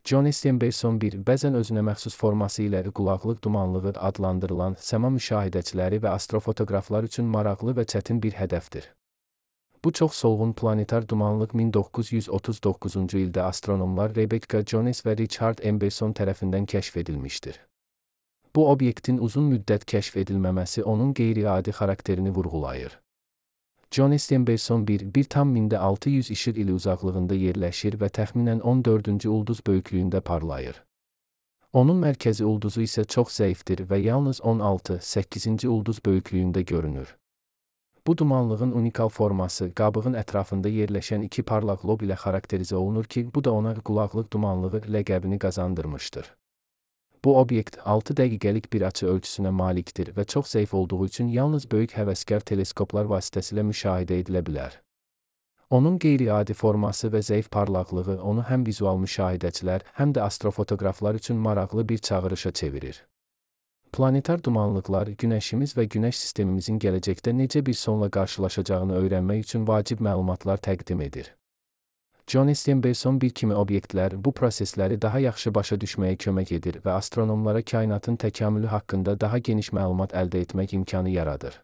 Johnny Steenbeiсон bir, bəzən özünə məxsus forması ilə qulaqlıq dumanlığı adlandırılan səma müşahidəçiləri və astrofotoqraflar üçün maraqlı və çətin bir hədəfdir. Bu çox solğun planetar dumanlıq 1939-cu ildə astronomlar Rebecca Jones və Richard M. Besson tərəfindən kəşf edilmişdir. Bu obyektin uzun müddət kəşf edilməməsi onun qeyri-adi xarakterini vurğulayır. Johnny Steenbeison 1,600 işıq ili uzaqlığında yerləşir və təxminən 14-cü ulduz böyüklüyündə parlayır. Onun mərkəzi ulduzu isə çox zəifdir və yalnız 16-8-ci ulduz böyüklüyündə görünür. Bu dumanlığın unikal forması qabığın ətrafında yerləşən iki parlaq lob ilə xarakterizə olunur ki, bu da ona qulaqlıq dumanlığı ləqəbini qazandırmışdır. Bu obyekt 6 dəqiqəlik bir açı ölçüsünə malikdir və çox zəif olduğu üçün yalnız böyük həvəskar teleskoplar vasitəsilə müşahidə edilə bilər. Onun qeyri-adi forması və zəif parlaqlığı onu həm vizual müşahidəçilər, həm də astrofotoqraflar üçün maraqlı bir çağırışa çevirir. Planetar dumanlıqlar Günəşimiz və Günəş sistemimizin gələcəkdə necə bir sonla qarşılaşacağını öyrənmək üçün vacib məlumatlar təqdim edir. Johnny Steenbeison bir kimi obyektlər bu prosesləri daha yaxşı başa düşməyə kömək edir və astronomlara kainatın təkamülü haqqında daha geniş məlumat əldə etmək imkanı yaradır.